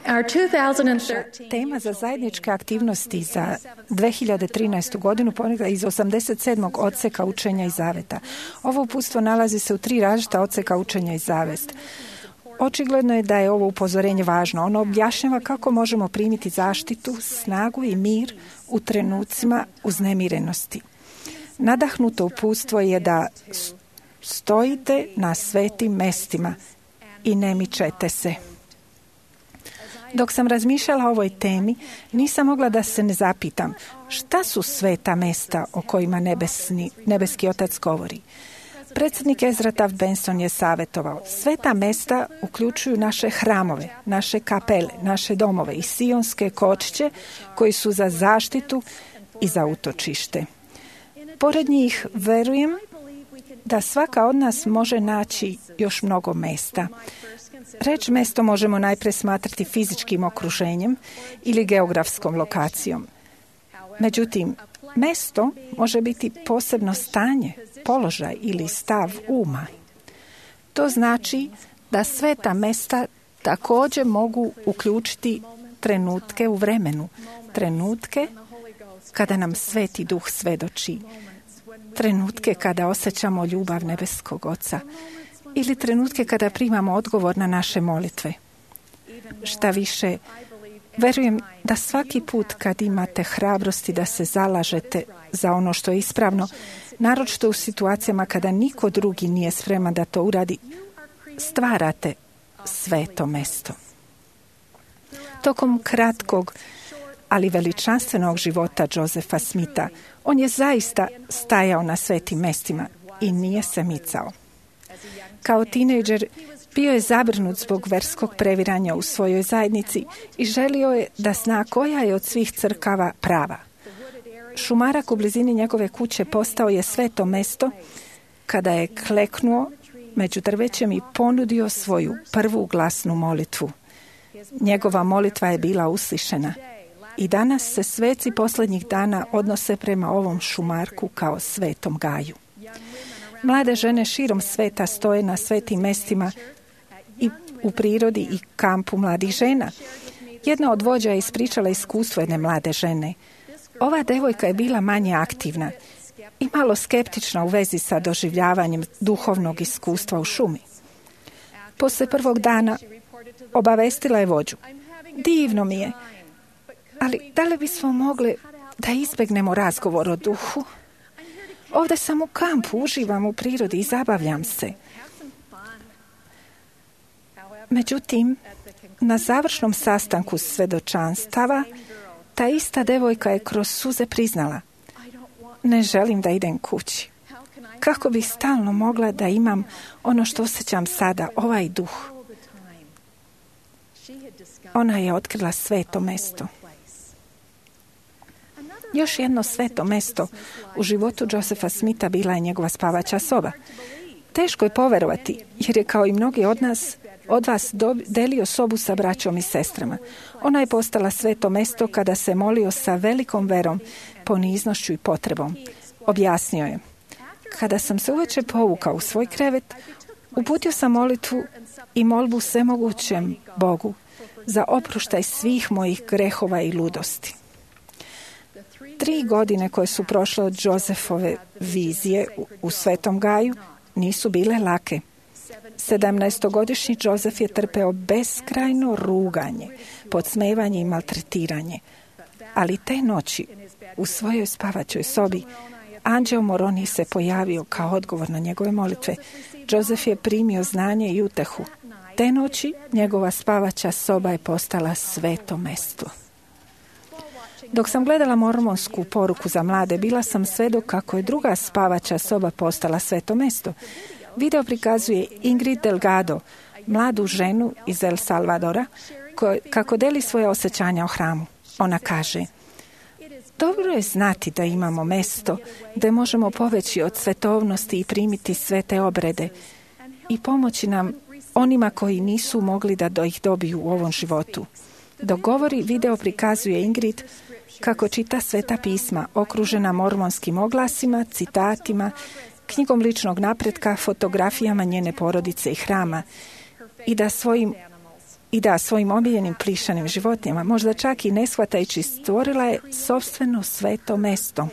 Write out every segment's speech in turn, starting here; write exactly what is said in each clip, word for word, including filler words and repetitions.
Our two thousand thirteen Tema za zajedničke aktivnosti za dve hiljade trinaestu godinu ponikla iz osamdeset sedmog odseka učenja i zaveta. Ovo uputstvo nalazi se u tri različita odseka učenja i zavest. Očigledno je da je ovo upozorenje važno. Ono objašnjava kako možemo primiti zaštitu, snagu i mir u trenucima uznemirenosti. Nadahnuto uputstvo je da stojite na svetim mestima i ne mičete se. Dok sam razmišljala o ovoj temi, nisam mogla da se ne zapitam šta su sveta mesta o kojima nebesni, nebeski Otac govori. Predsjednik Ezra Taft Benson je savjetovao, sveta mesta uključuju naše hramove, naše kapele, naše domove i sionske kočiće koji su za zaštitu i za utočište. Pored njih verujem da svaka od nas može naći još mnogo mesta. Reč mesto možemo najprije smatrati fizičkim okruženjem ili geografskom lokacijom. Međutim, mesto može biti posebno stanje, položaj ili stav uma. To znači da sveta mesta također mogu uključiti trenutke u vremenu, trenutke kada nam Sveti Duh svedoči, trenutke kada osjećamo ljubav nebeskog Oca ili trenutke kada primamo odgovor na naše molitve. Šta više, verujem da svaki put kad imate hrabrosti da se zalažete za ono što je ispravno, naročito u situacijama kada niko drugi nije spreman da to uradi, stvarate sveto mesto. Tokom kratkog, ali veličanstvenog života Josefa Smitha, on je zaista stajao na svetim mestima i nije se micao. Kao tinejdžer bio je zabrinut zbog verskog previranja u svojoj zajednici i želio je da zna koja je od svih crkava prava. Šumarak u blizini njegove kuće postao je sveto mesto kada je kleknuo među drvećem i ponudio svoju prvu glasnu molitvu. Njegova molitva je bila uslišena i danas se sveci posljednjih dana odnose prema ovom šumarku kao svetom gaju. Mlade žene širom sveta stoje na svetim mestima i u prirodi i kampu mladih žena. Jedna od vođa je ispričala iskustvo jedne mlade žene. Ova devojka je bila manje aktivna i malo skeptična u vezi sa doživljavanjem duhovnog iskustva u šumi. Poslije prvog dana obavestila je vođu. Divno mi je, ali da li bismo mogli da izbjegnemo razgovor o duhu? Ovdje sam u kampu, uživam u prirodi i zabavljam se. Međutim, na završnom sastanku svedočanstava, ta ista devojka je kroz suze priznala: ne želim da idem kući. Kako bih stalno mogla da imam ono što osjećam sada, ovaj duh? Ona je otkrila sveto mesto. Još jedno sveto mesto u životu Josefa Smitha bila je njegova spavaća soba. Teško je poverovati, jer je kao i mnogi od nas, od vas delio sobu sa braćom i sestrama. Ona je postala sveto mesto kada se molio sa velikom verom, poniznošću i potrebom. Objasnio je: kada sam se uveče povukao u svoj krevet, uputio sam molitvu i molbu svemogućem Bogu za oproštaj svih mojih grehova i ludosti. Tri godine koje su prošle od Josefove vizije u, u Svetom Gaju nisu bile lake. Sedamnaestogodišnji Josef je trpeo beskrajno ruganje, podsmevanje i maltretiranje. Ali te noći u svojoj spavaćoj sobi anđeo Moroni se pojavio kao odgovor na njegove molitve. Josef je primio znanje i utehu. Te noći njegova spavaća soba je postala sveto mesto. Dok sam gledala mormonsku poruku za mlade, bila sam svedok kako je druga spavaća soba postala sveto mesto. Video prikazuje Ingrid Delgado, mladu ženu iz El Salvadora, ko, kako deli svoje osjećanja o hramu. Ona kaže: dobro je znati da imamo mesto gdje možemo poveći od svetovnosti i primiti svete obrede i pomoći nam onima koji nisu mogli da do ih dobiju u ovom životu. Dok govori, video prikazuje Ingrid kako čita sveta pisma, okružena mormonskim oglasima, citatima, knjigom ličnog napretka, fotografijama njene porodice i hrama, i da svojim I da, svojim omiljenim plišanim životinjama, možda čak i ne shvatajući, stvorila je sopstveno sveto mesto,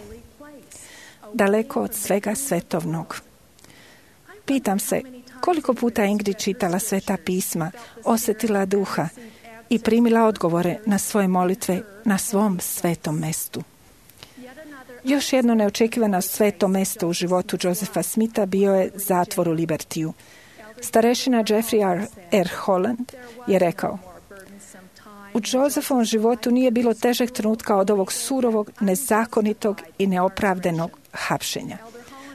daleko od svega svetovnog. Pitam se, koliko puta Ingrid čitala sveta pisma, osjetila duha i primila odgovore na svoje molitve na svom svetom mestu. Još jedno neočekivano sveto mesto u životu Josepha Smitha bio je zatvor u Libertiju. Starešina Jeffrey R. Holland je rekao: u Josephovom životu nije bilo težeg trenutka od ovog surovog, nezakonitog i neopravdanog hapšenja.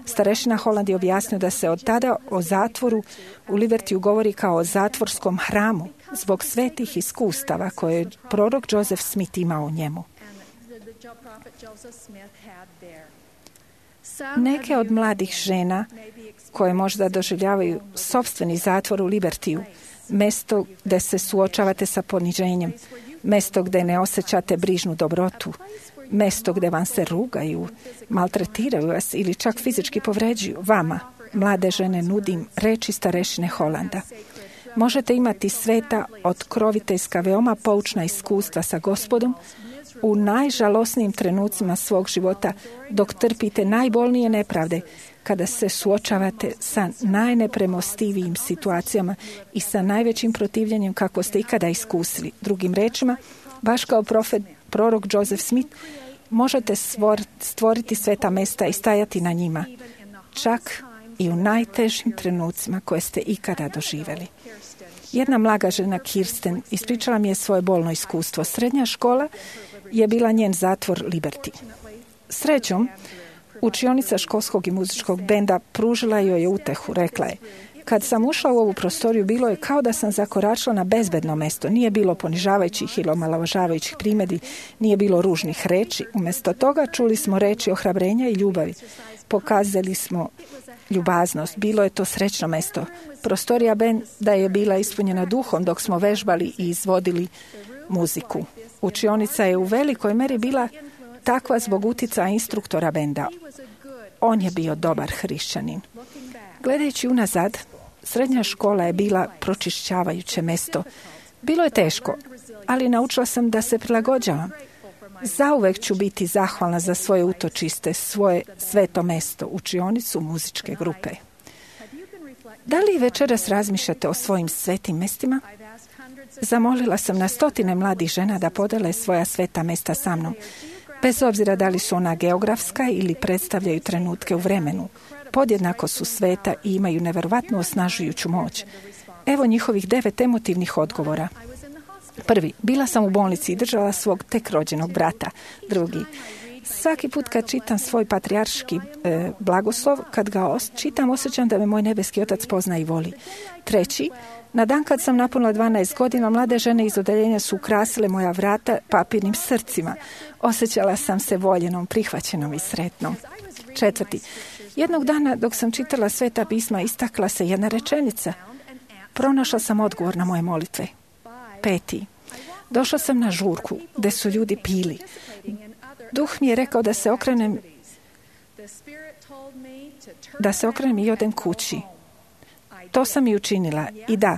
Starešina Holland je objasnio da se od tada o zatvoru u Libertiju govori kao o zatvorskom hramu zbog svetih iskustava koje je prorok Joseph Smith imao u njemu. Neke od mladih žena koje možda doživljavaju sopstveni zatvor u Libertiju, mesto gdje se suočavate sa poniženjem, mesto gdje ne osjećate brižnu dobrotu, mesto gdje vam se rugaju, maltretiraju vas ili čak fizički povređuju, vama, mlade žene, nudim reči starešine Holanda. Možete imati sveta, otkroviteljska, veoma poučna iskustva sa Gospodom u najžalosnijim trenucima svog života, dok trpite najbolnije nepravde, kada se suočavate sa najnepremostivijim situacijama i sa najvećim protivljenjem kako ste ikada iskusili. Drugim rečima, baš kao profet, prorok Joseph Smith, možete stvoriti sveta mesta i stajati na njima, čak i u najtežim trenucima koje ste ikada doživjeli. Jedna mlada žena, Kirsten, ispričala mi je svoje bolno iskustvo. Srednja škola je bila njen zatvor Liberty. Srećom, učionica školskog i muzičkog benda pružila joj je utehu. Rekla je: kad sam ušla u ovu prostoriju, bilo je kao da sam zakoračila na bezbedno mesto. Nije bilo ponižavajućih ili omalovažavajućih primjedbi, nije bilo ružnih reči. Umjesto toga čuli smo reči ohrabrenja i ljubavi. Pokazali smo ljubaznost. Bilo je to srećno mesto. Prostorija benda je bila ispunjena duhom dok smo vežbali i izvodili muziku. Učionica je u velikoj meri bila takva zbog utjecaja instruktora benda. On je bio dobar hrišćanin. Gledajući unazad, srednja škola je bila pročišćavajuće mesto. Bilo je teško, ali naučila sam da se prilagođavam. Zauvek ću biti zahvalna za svoje utočiste, svoje sveto mesto, učionicu muzičke grupe. Da li večeras razmišljate o svojim svetim mestima? Zamolila sam na stotine mladih žena da podele svoja sveta mesta sa mnom, bez obzira da li su ona geografska ili predstavljaju trenutke u vremenu. Podjednako su sveta i imaju neverovatnu osnažujuću moć. Evo njihovih devet emotivnih odgovora. Prvi, bila sam u bolnici i držala svog tek rođenog brata. Drugi, svaki put kad čitam svoj patrijarški e, blagoslov, kad ga os- čitam, osjećam da me moj nebeski otac pozna i voli. Treći, na dan kad sam napunila dvanaest godina, mlade žene iz odeljenja su ukrasile moja vrata papirnim srcima. Osjećala sam se voljenom, prihvaćenom i sretnom. Četvrti, jednog dana dok sam čitala sveta pisma, istakla se jedna rečenica. Pronašla sam odgovor na moje molitve. Peti, došla sam na žurku gdje su ljudi pili. Duh mi je rekao da se okrenem da se okrenem i odem kući. To sam i učinila. I da,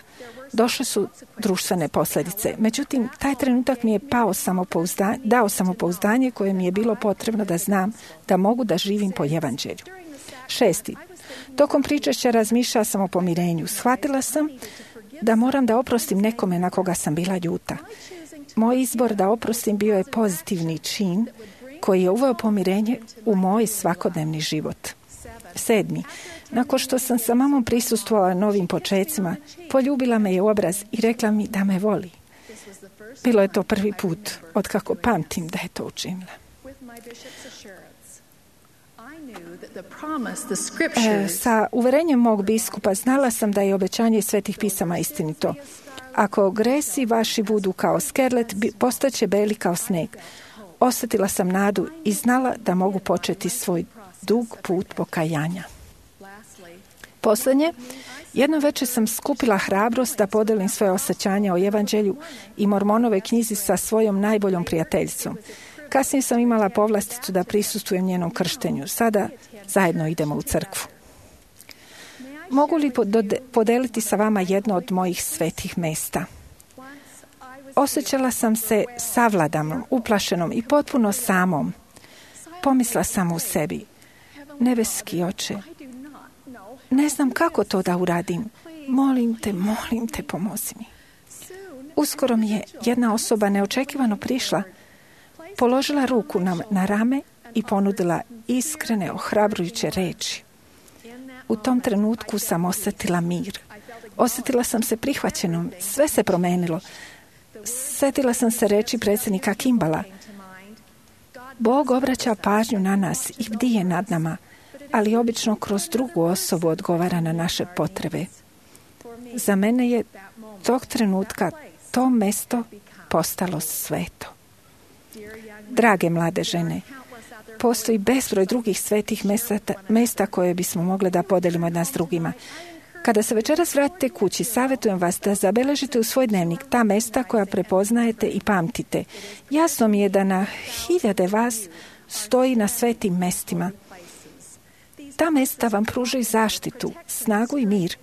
došle su društvene posljedice. Međutim, taj trenutak mi je pao samopouzdanje, dao samopouzdanje koje mi je bilo potrebno da znam da mogu da živim po evanđelju. Šesti, tokom pričešća razmišljala sam o pomirenju. Shvatila sam da moram da oprostim nekome na koga sam bila ljuta. Moj izbor da oprostim bio je pozitivni čin koji je uveo pomirenje u moj svakodnevni život. Sedmi, nakon što sam sa mamom prisustvovala novim počecima, poljubila me je u obraz i rekla mi da me voli. Bilo je to prvi put od kako pamtim da je to učinila. E, sa uverenjem mog biskupa znala sam da je obećanje svetih pisama istinito. Ako gresi vaši budu kao skerlet, postaće beli kao sneg. Osjetila sam nadu i znala da mogu početi svoj dug put pokajanja. Posljednje, jedno večer sam skupila hrabrost da podelim svoje osjećanja o evanđelju i Mormonove knjizi sa svojom najboljom prijateljicom. Kasnije sam imala povlasticu da prisustvujem njenom krštenju. Sada zajedno idemo u crkvu. Mogu li podeliti sa vama jedno od mojih svetih mesta? Osjećala sam se savladanom, uplašenom i potpuno samom. Pomisla sam u sebi, nebeski Oče, ne znam kako to da uradim. Molim te, molim te, pomozi mi. Uskoro mi je jedna osoba neočekivano prišla, položila ruku na, na rame i ponudila iskrene, ohrabrujuće reči. U tom trenutku sam osjetila mir. Osjetila sam se prihvaćenom. Sve se promenilo. Sjetila sam se reči predsjednika Kimballa. Bog obraća pažnju na nas i bdije nad nama, ali obično kroz drugu osobu odgovara na naše potrebe. Za mene je tog trenutka to mesto postalo sveto. Drage mlade žene, postoji bezbroj drugih svetih mesta, mesta koje bismo mogli da podelimo jedna s drugima. Kada se večeras vratite kući, savjetujem vas da zabeležite u svoj dnevnik ta mesta koja prepoznajete i pamtite. Jasno mi je da na hiljade vas stoji na svetim mestima. Ta mesta vam pružaju zaštitu, snagu i mir.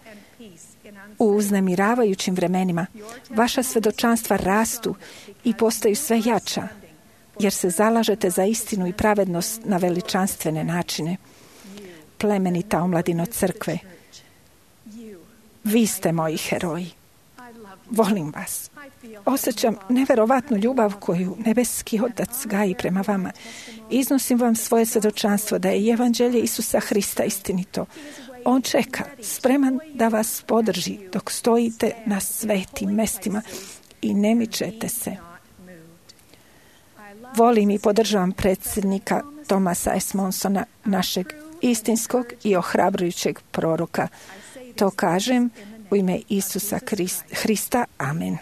U uznemiravajućim vremenima vaša svedočanstva rastu i postaju sve jača, jer se zalažete za istinu i pravednost na veličanstvene načine. Plemenita omladino crkve, vi ste moji heroji. Volim vas. Osjećam neverovatnu ljubav koju nebeski Otac gaji prema vama. Iznosim vam svoje svjedočanstvo da je evanđelje Isusa Hrista istinito. On čeka, spreman da vas podrži dok stojite na svetim mestima i ne mičete se. Volim i podržavam predsjednika Thomasa S. Monsona, našeg istinskog i ohrabrujućeg proroka. To kažem u ime Isusa Hrista. Amen.